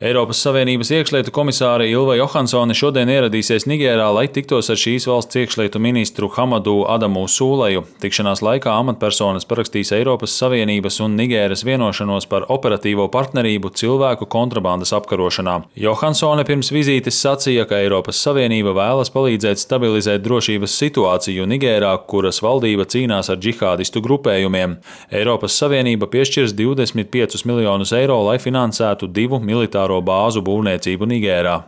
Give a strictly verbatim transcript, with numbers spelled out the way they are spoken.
Eiropas Savienības iekšlietu komisāre Ilva Johansone šodien ieradīsies Nigērā, lai tiktos ar šīs valsts iekšlietu ministru Hamadu Adamu Sūleju. Tikšanās laikā amatpersonas parakstīs Eiropas Savienības un Nigēras vienošanos par operatīvo partnerību cilvēku kontrabandas apkarošanā. Johansone pirms vizītes sacīja, ka Eiropas Savienība vēlas palīdzēt stabilizēt drošības situāciju Nigērā, kuras valdība cīnās ar džihādistu grupējumiem. Eiropas Savienība piešķirs divdesmit piecus miljonus eiro, lai finansētu divu militāru bāzu būvniecību Nigērā.